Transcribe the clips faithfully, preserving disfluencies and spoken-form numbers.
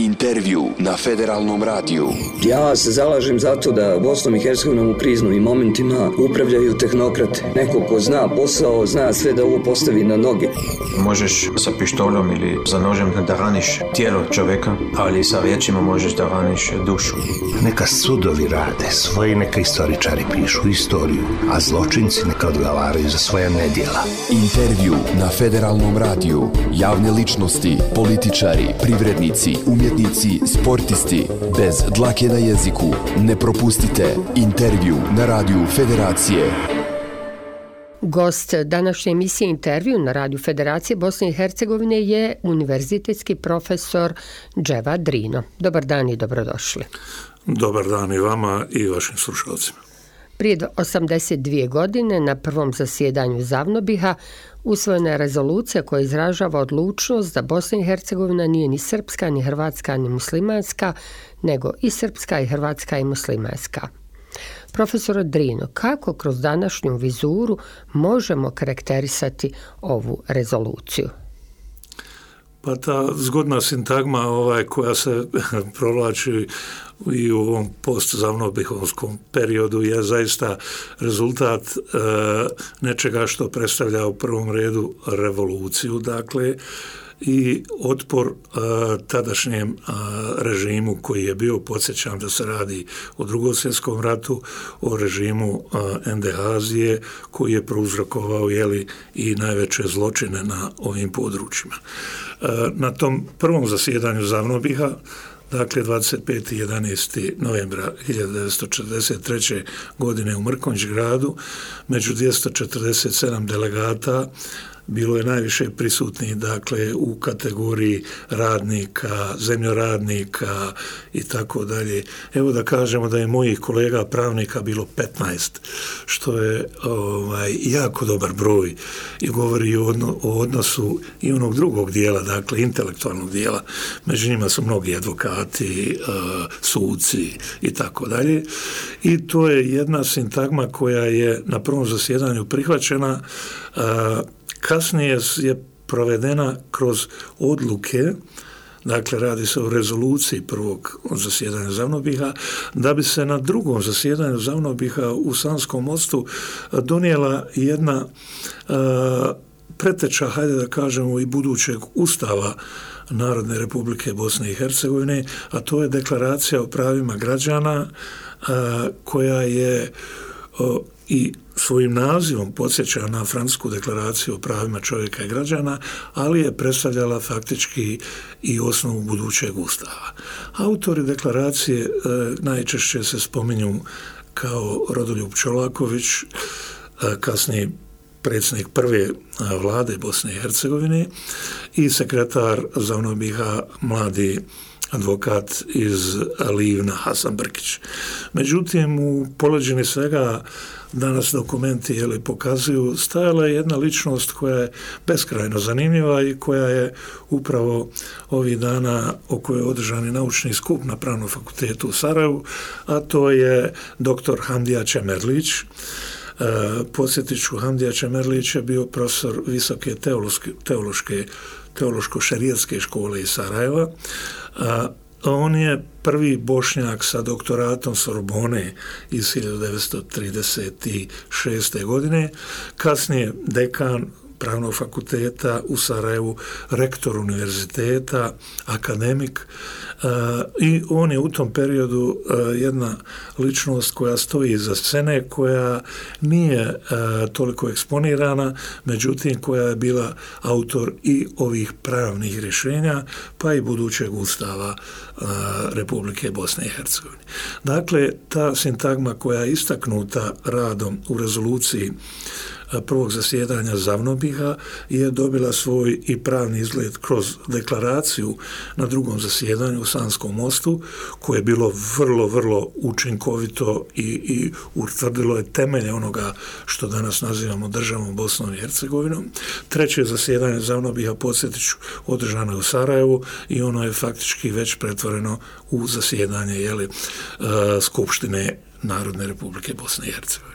Intervju na Federalnom radiju. Ja se zalažem za to da Bosnom i Hercegovinom u kriznim momentima upravljaju tehnokrate. Neko ko zna posao, zna sve da ovo postavi na noge. Možeš sa pištoljom ili za nožem da raniš tijelo čovjeka, ali sa riječima možeš da raniš dušu. Neka sudovi rade svoje, neka istoričari pišu istoriju, a zločinci neka odgovaraju za svoja nedjela. Intervju na Federalnom radiju. Javne ličnosti, političari, privrednici, umjetnici, sportisti. Bez dlake na jeziku. Ne propustite Intervju na radiju Federacije. Gost današnje emisije Intervju na radiju Federacije Bosne i Hercegovine je univerzitetski profesor Dževad Drino. Dobar dan i dobrodošli. Dobar dan i vama i vašim slušalcima. Prije osamdeset dvije godine na prvom zasjedanju Zavnobiha usvojena je rezolucija koja izražava odlučnost da Bosna i Hercegovina nije ni srpska, ni hrvatska, ni muslimanska, nego i srpska i hrvatska i muslimanska. Profesor Drino, kako kroz današnju vizuru možemo karakterisati ovu rezoluciju? Pa ta zgodna sintagma ovaj, koja se provlači i u ovom post-zavnobihovskom periodu je zaista rezultat e, nečega što predstavlja u prvom redu revoluciju, dakle, i otpor e, tadašnjem e, režimu koji je bio, podsjećam da se radi o Drugom svjetskom ratu, o režimu e, Endehazije koji je prouzrokovao jeli, i najveće zločine na ovim područjima. E, na tom prvom zasjedanju Zavnobiha, dakle dvadeset petog jedanaestog novembra hiljadu devetsto četrdeset treće. godine u Mrkonjić-gradu, među dvjesto četrdeset sedam delegata bilo je najviše prisutnih, dakle, u kategoriji radnika, zemljoradnika i tako dalje. Evo da kažemo da je mojih kolega pravnika bilo petnaest, što je ovaj, jako dobar broj i govori o, odno, o odnosu i onog drugog dijela, dakle, intelektualnog dijela. Među njima su mnogi advokati, uh, suci i tako dalje. I to je jedna sintagma koja je na prvom zasjedanju prihvaćena. Uh, Kasnije je provedena kroz odluke, dakle radi se o rezoluciji prvog zasjedanja Zavnobiha, da bi se na drugom zasjedanju Zavnobiha u Sanskom mostu donijela jedna uh, preteča, hajde da kažemo, i budućeg ustava Narodne Republike Bosne i Hercegovine, a to je deklaracija o pravima građana uh, koja je uh, i svojim nazivom podsjeća na Francusku deklaraciju o pravima čovjeka i građana, ali je predstavljala faktički i osnovu budućeg ustava. Autori deklaracije e, najčešće se spominju kao Rodoljub Čolaković, e, kasniji predsjednik prve vlade Bosne i Hercegovine i sekretar Zavnobiha, mladi advokat iz Livna Hasan Brkić. Međutim, u poleđini svega danas dokumenti jeli, pokazuju, stajala je jedna ličnost koja je beskrajno zanimljiva i koja je upravo ovih dana o kojoj je održani naučni skup na Pravnom fakultetu u Sarajevu, a to je doktor Hamdija Čemerlić. E, podsjetit ću, Hamdija Čemerlić je bio profesor visoke teološke, teološke teološko-šerijatske škole iz Sarajeva. A, on je prvi Bošnjak sa doktoratom Sorbone iz hiljadu devetsto trideset šeste. godine, kasnije dekan Pravnog fakulteta u Sarajevu, rektor univerziteta, akademik, uh, i on je u tom periodu uh, jedna ličnost koja stoji iza scene, koja nije uh, toliko eksponirana, međutim koja je bila autor i ovih pravnih rješenja, pa i budućeg ustava uh, Republike Bosne i Hercegovine. Dakle, ta sintagma koja je istaknuta radom u rezoluciji prvog zasjedanja Zavnobiha je dobila svoj i pravni izgled kroz deklaraciju na drugom zasjedanju u Sanskom mostu, koje je bilo vrlo, vrlo učinkovito i, i utvrdilo je temelje onoga što danas nazivamo državom Bosnom i Hercegovinom. Treće zasjedanje Zavnobiha, podsjetiću, održano je u Sarajevu i ono je faktički već pretvoreno u zasjedanje jeli, uh, Skupštine Narodne Republike Bosne i Hercegovine.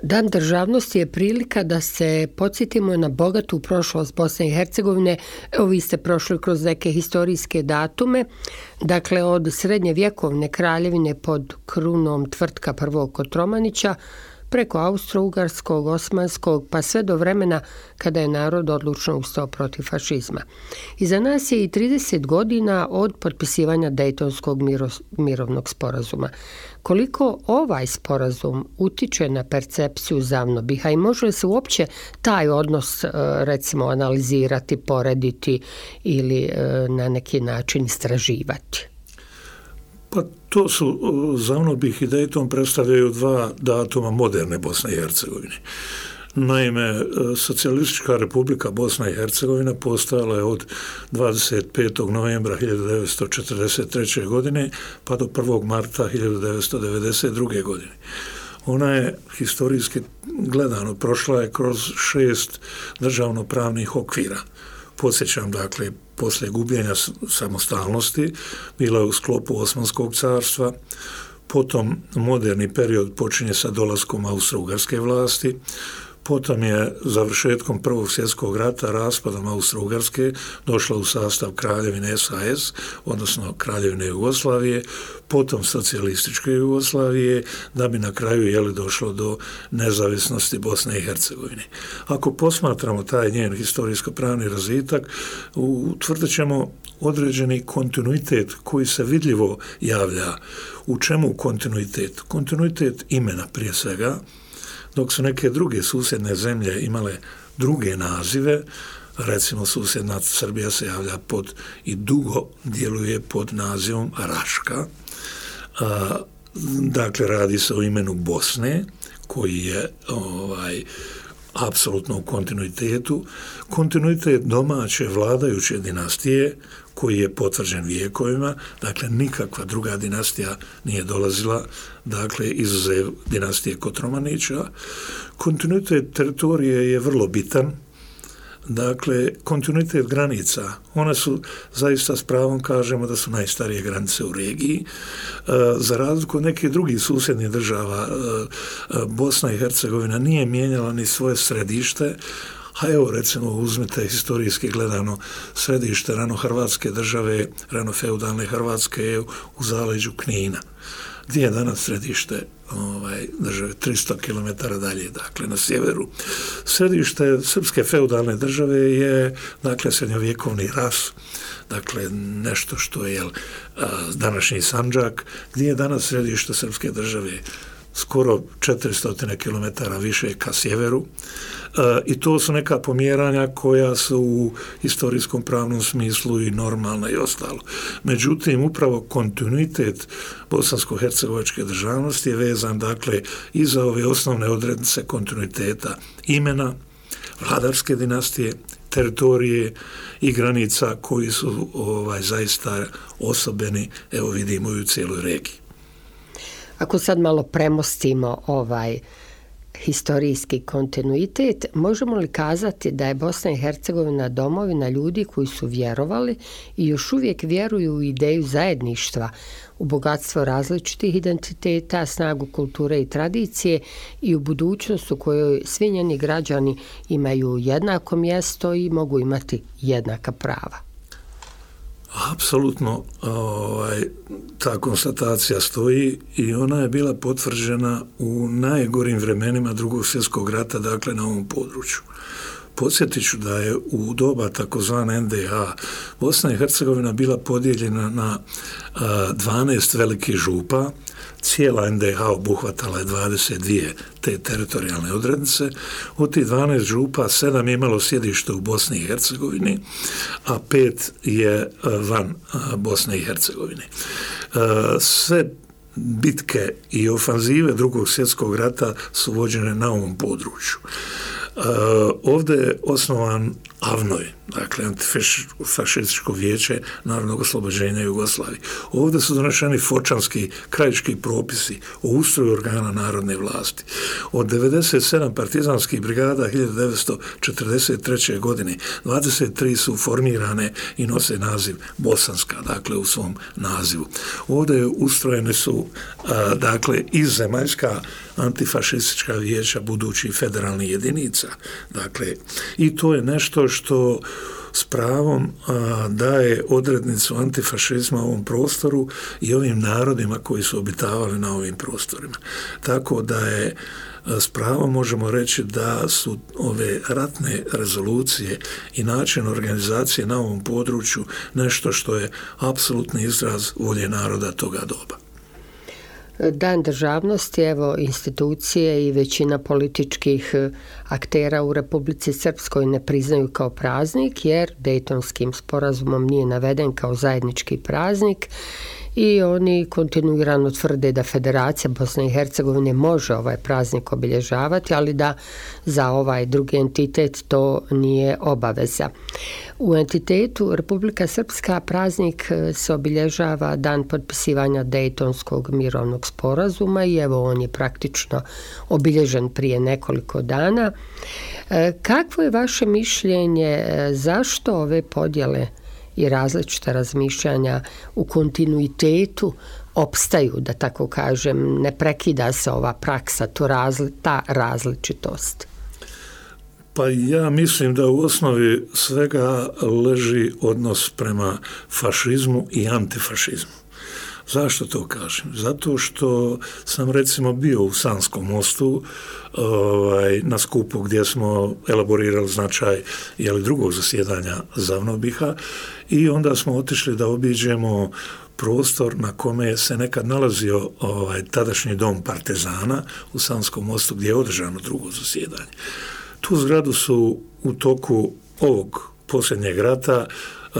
Dan državnosti je prilika da se podsjetimo na bogatu prošlost Bosne i Hercegovine. Evo, vi ste prošli kroz neke historijske datume, dakle od srednjevjekovne kraljevine pod krunom Tvrtka prvog Kotromanića, preko Austro-Ugarskog, Osmanskog, pa sve do vremena kada je narod odlučno ustao protiv fašizma. Iza nas je i trideset godina od potpisivanja Dejtonskog miro, mirovnog sporazuma. Koliko ovaj sporazum utiče na percepciju Zavnobiha i može li se uopće taj odnos recimo analizirati, porediti ili na neki način istraživati? Pa to su, Zavnobih i Dejton predstavljaju dva datuma moderne Bosne i Hercegovine. Naime, Socijalistička republika Bosna i Hercegovina postojala je od dvadeset petog novembra hiljadu devetsto četrdeset treće. godine pa do prvog marta hiljadu devetsto devedeset druge. godine. Ona je historijski gledano prošla je kroz šest državnopravnih okvira. Podsjećam, dakle, poslije gubljenja samostalnosti bila je u sklopu Osmanskog carstva, potom moderni period počinje sa dolaskom Austro-Ugarske vlasti, potom je završetkom Prvog svjetskog rata, raspadom Austro-Ugarske, došla u sastav Kraljevine S A S, odnosno Kraljevine Jugoslavije, potom socijalističke Jugoslavije, da bi na kraju jeli došlo do nezavisnosti Bosne i Hercegovine. Ako posmatramo taj njen historijsko-pravni razvitak, utvrdit ćemo određeni kontinuitet koji se vidljivo javlja. U čemu kontinuitet? Kontinuitet imena prije svega, dok su neke druge susjedne zemlje imale druge nazive, recimo susjedna Srbija se javlja pod i dugo djeluje pod nazivom Raška. A, dakle, radi se o imenu Bosne, koji je ovaj, apsolutno u kontinuitetu. Kontinuitet domaće vladajuće dinastije, koji je potvrđen vijekovima, dakle nikakva druga dinastija nije dolazila, dakle izuzev dinastije Kotromanića. Kontinuitet teritorije je vrlo bitan, dakle kontinuitet granica, one su zaista s pravom kažemo da su najstarije granice u regiji. Za razliku od nekih drugih susjednih država, Bosna i Hercegovina nije mijenjala ni svoje središte, a evo recimo uzmite historijski gledano središte rano Hrvatske države, rano feudalne Hrvatske je u zaleđu Knina. Gdje je danas središte ovaj, države? tristo kilometara dalje, dakle na sjeveru. Središte srpske feudalne države je dakle srednjovjekovni Ras, dakle nešto što je jel, današnji Sandžak, gdje je danas središte srpske države skoro četiristo kilometara više ka sjeveru. E, i to su neka pomjeranja koja su u historijskom pravnom smislu i normalna i ostalo. Međutim, upravo kontinuitet bosansko-hercegovačke državnosti je vezan dakle i za ove osnovne odrednice kontinuiteta imena, vladarske dinastije, teritorije i granica koji su ovaj, zaista osobeni, evo vidimo i u cijeloj regiji. Ako sad malo premostimo ovaj historijski kontinuitet, možemo li kazati da je Bosna i Hercegovina domovina ljudi koji su vjerovali i još uvijek vjeruju u ideju zajedništva, u bogatstvo različitih identiteta, snagu kulture i tradicije i u budućnost u kojoj svi njeni građani imaju jednako mjesto i mogu imati jednaka prava? Apsolutno ovaj, ta konstatacija stoji i ona je bila potvrđena u najgorim vremenima Drugog svjetskog rata, dakle na ovom području. Podsjetit ću da je u doba takozvane N D H Bosna i Hercegovina bila podijeljena na a, dvanaest velikih župa. Cijela N D H obuhvatala je dvadeset dvije te teritorijalne odrednice. Od tih dvanaest župa sedam je imalo sjedište u Bosni i Hercegovini, a pet je van Bosne i Hercegovine. Sve bitke i ofanzive Drugog svjetskog rata su vođene na ovom području. Uh, ovdje je osnovan AVNOJ, dakle Antifašističko vijeće narodnog oslobođenja Jugoslavije. Ovdje su doneseni fočanski krajiški propisi o ustroju organa narodne vlasti. Od devedeset sedam partizanskih brigada hiljadu devetsto četrdeset treće. godine dvadeset tri su formirane i nose naziv Bosanska, dakle u svom nazivu. Ovdje ustrojene su a, dakle i zemaljska antifašistička vijeća budućih federalnih jedinica. Dakle, i to je nešto što s pravom a, daje odrednicu antifašizma u ovom prostoru i ovim narodima koji su obitavali na ovim prostorima. Tako da je s pravom možemo reći da su ove ratne rezolucije i način organizacije na ovom području nešto što je apsolutni izraz volje naroda toga doba. Dan državnosti, evo, institucije i većina političkih aktera u Republici Srpskoj ne priznaju kao praznik, jer Dejtonskim sporazumom nije naveden kao zajednički praznik i oni kontinuirano tvrde da Federacija Bosne i Hercegovine može ovaj praznik obilježavati, ali da za ovaj drugi entitet to nije obaveza. U entitetu Republika Srpska praznik se obilježava dan potpisivanja Dejtonskog mirovnog sporazuma i evo on je praktično obilježen prije nekoliko dana. Kakvo je vaše mišljenje, zašto ove podjele i različita razmišljanja u kontinuitetu opstaju, da tako kažem, ne prekida se ova praksa, to razli, ta različitost? Pa ja mislim da u osnovi svega leži odnos prema fašizmu i antifašizmu. Zašto to kažem? Zato što sam recimo bio u Sanskom mostu ovaj, na skupu gdje smo elaborirali značaj jeli, drugog zasjedanja Zavnobiha i onda smo otišli da obiđemo prostor na kome se nekad nalazio ovaj, tadašnji dom partizana u Sanskom mostu gdje je održano drugo zasjedanje. Tu zgradu su u toku ovog posljednjeg rata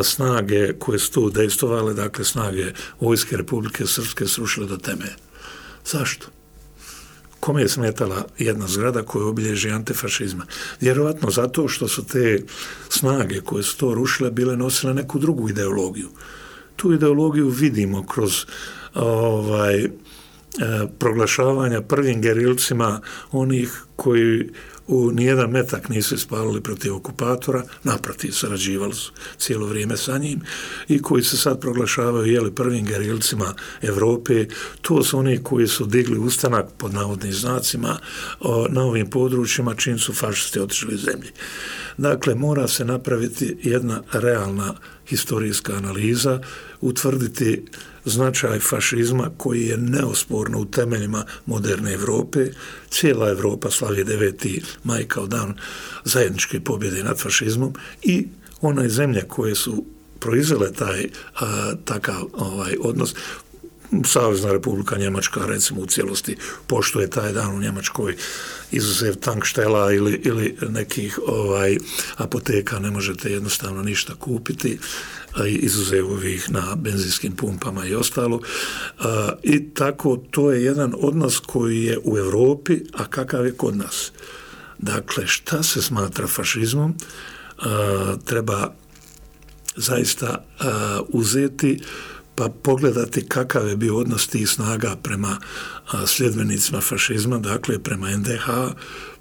snage koje su tu dejstvovale, dakle snage Vojske Republike Srpske srušile do temelja. Zašto? Kome je smetala jedna zgrada koja obilježi antifašizma? Vjerovatno zato što su te snage koje su to rušile bile nosile neku drugu ideologiju. Tu ideologiju vidimo kroz ovaj, e, proglašavanja prvim gerilcima onih koji u nijedan metak nisu ispalili protiv okupatora, naprotiv, sarađivali su cijelo vrijeme sa njim i koji se sad proglašavaju jeli, prvim gerilcima Evrope. To su oni koji su digli ustanak pod navodnim znacima o, na ovim područjima čim su fašisti otišli iz zemlje. Dakle, mora se napraviti jedna realna historijska analiza, utvrditi značaj fašizma koji je neosporno u temeljima moderne Evrope. Cijela Evropa slavi deveti maj kao dan zajedničke pobjede nad fašizmom i one zemlje koje su proizvele taj a, takav ovaj odnos. Savezna Republika Njemačka recimo u cijelosti poštuje taj dan u Njemačkoj, izuzev tankštela ili, ili nekih ovaj apoteka ne možete jednostavno ništa kupiti, izuzev ovih na benzinskim pumpama i ostalo. I tako to je jedan odnos koji je u Europi, a kakav je kod nas. Dakle, šta se smatra fašizmom, treba zaista uzeti pa pogledati kakav je bio odnos tih snaga prema a, sljedbenicima fašizma, dakle prema en de ha,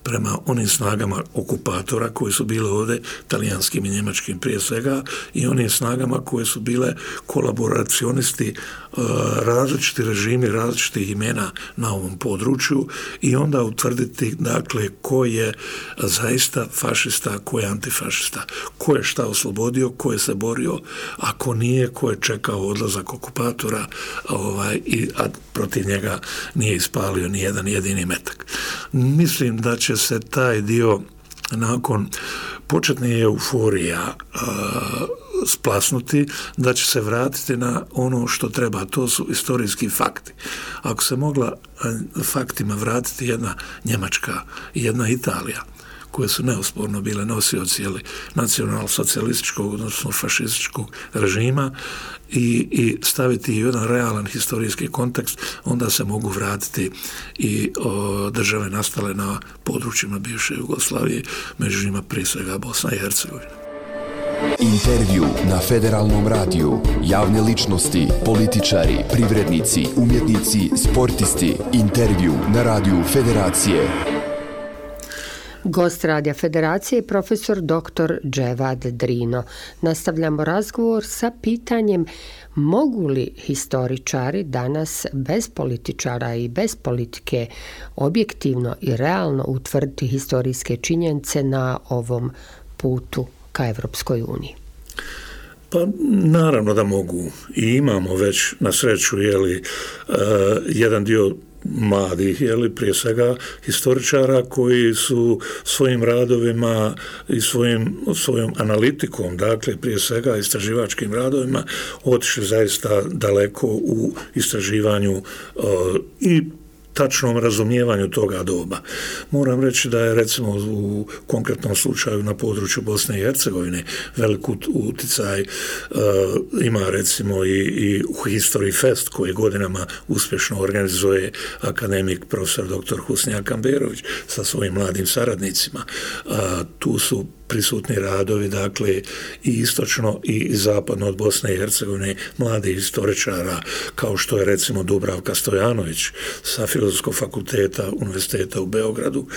prema onim snagama okupatora koji su bile ovdje, talijanskim i njemačkim prije svega, i onim snagama koje su bile kolaboracionisti, a, različiti režimi, različitih imena na ovom području i onda utvrditi, dakle, ko je zaista fašista, ko je antifašista, ko je šta oslobodio, ko je se borio, a ko nije, ko je čekao odlazak okupatora ovaj, i, a protiv njega nije ispalio ni jedan jedini metak. Mislim da će se taj dio nakon početne euforija uh, splasnuti, da će se vratiti na ono što treba, to su istorijski fakti. Ako se mogla uh, faktima vratiti jedna Njemačka i jedna Italija, koje su neosporno bile nosioci nacional-socijalističkog, odnosno fašističkog režima i, i staviti u jedan realan historijski kontekst, onda se mogu vratiti i o, države nastale na područjima bivše Jugoslavije, među njima prije svega Bosna i Hercegovina. Intervju na Federalnom radiju. Javne ličnosti, političari, privrednici, umjetnici, sportisti. Intervju na radiju Federacije. Gost Radija Federacije je profesor doktor Dževad Drino. Nastavljamo razgovor sa pitanjem mogu li historičari danas bez političara i bez politike objektivno i realno utvrditi historijske činjenice na ovom putu ka Evropskoj uniji? Pa naravno da mogu i imamo već na sreću jeli, uh, jedan dio mladih, jeli, prije svega historičara koji su svojim radovima i svojim, svojom analitikom, dakle prije svega istraživačkim radovima otišli zaista daleko u istraživanju uh, i tačnom razumijevanju toga doba. Moram reći da je recimo u konkretnom slučaju na području Bosne i Hercegovine velik uticaj uh, ima recimo i, i History Fest koji godinama uspješno organizuje akademik profesor doktor Husnija Kamberović sa svojim mladim saradnicima. Uh, tu su prisutni radovi, dakle, i istočno i zapadno od Bosne i Hercegovine mladih historičara, kao što je recimo Dubravka Stojanović sa Filozofskog fakulteta Univerziteta u Beogradu,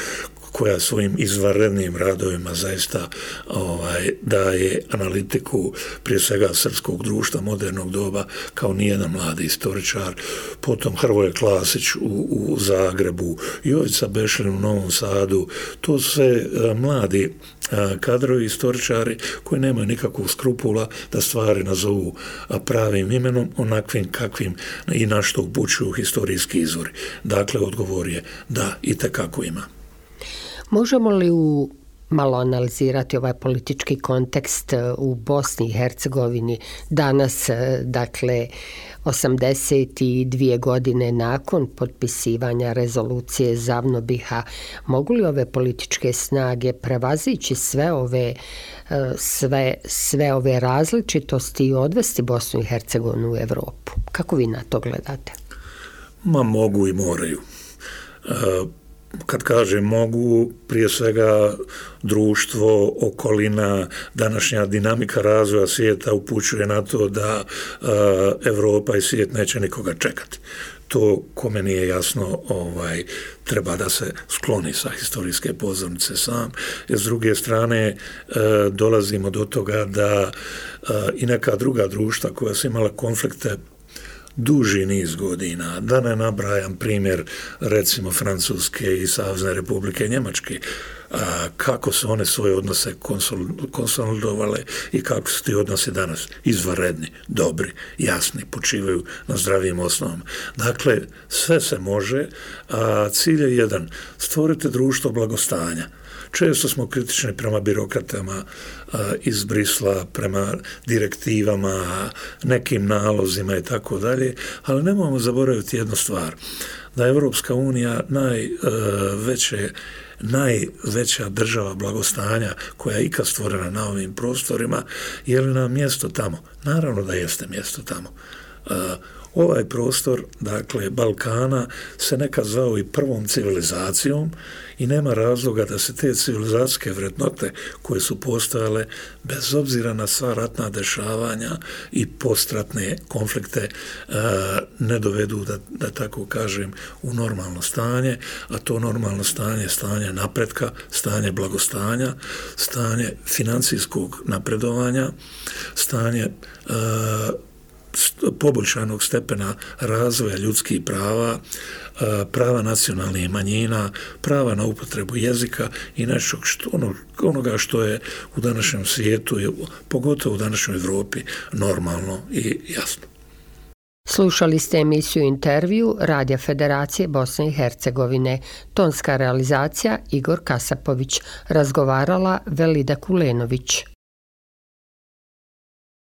koja svojim izvanrednim radovima zaista ovaj, daje analitiku prije svega srpskog društva modernog doba kao nijedan mladi historičar. Potom Hrvoje Klasić u, u Zagrebu, Jovica Bešlin u Novom Sadu. To su sve a, mladi a, kadrovi historičari koji nemaju nikakvog skrupula da stvari nazovu a, pravim imenom, onakvim kakvim i na što upućuju historijski izvori. Dakle, odgovor je da, itekako ima. Možemo li u malo analizirati ovaj politički kontekst u Bosni i Hercegovini danas, dakle, osamdeset dvije godine nakon potpisivanja rezolucije Zavnobiha, mogu li ove političke snage prevazići sve ove, sve, sve ove različitosti i odvesti Bosnu i Hercegovinu u Evropu? Kako vi na to gledate? Ma mogu i moraju. Uh, Kad kažem mogu, prije svega društvo, okolina, današnja dinamika razvoja svijeta upućuje na to da uh, Evropa i svijet neće nikoga čekati. To, kome nije jasno, ovaj, treba da se skloni sa historijske pozornice sam. Jer s druge strane uh, dolazimo do toga da uh, i neka druga društva koja su imala konflikte duži niz godina, da ne nabrajam primjer recimo Francuske i Savezne Republike Njemačke, a, kako su one svoje odnose konsolidovale i kako su ti odnosi danas izvanredni, dobri, jasni, počivaju na zdravim osnovama. Dakle, sve se može, a cilj je jedan, stvorite društvo blagostanja. Često smo kritični prema birokratama a, iz Brisla, prema direktivama, nekim nalozima i tako dalje, ali nemojmo zaboraviti jednu stvar, da je Evropska unija najveće najveća država blagostanja koja je ikad stvorena na ovim prostorima. Je li nam mjesto tamo? Naravno da jeste mjesto tamo. Uh, ovaj prostor, dakle Balkana, se nekad zvao i prvom civilizacijom i nema razloga da se te civilizacijske vrednote koje su postojale, bez obzira na sva ratna dešavanja i postratne konflikte, uh, ne dovedu, da, da tako kažem, u normalno stanje, a to normalno stanje je stanje napretka, stanje blagostanja, stanje financijskog napredovanja, stanje uh, poboljšanog stepena razvoja ljudskih prava, prava nacionalnih manjina, prava na upotrebu jezika i nešto što, ono, onoga što je u današnjem svijetu, pogotovo u današnjoj Evropi, normalno i jasno. Slušali ste emisiju Intervju Radija Federacije Bosne i Hercegovine. Tonska realizacija Igor Kasapović. Razgovarala Velida Kulenović.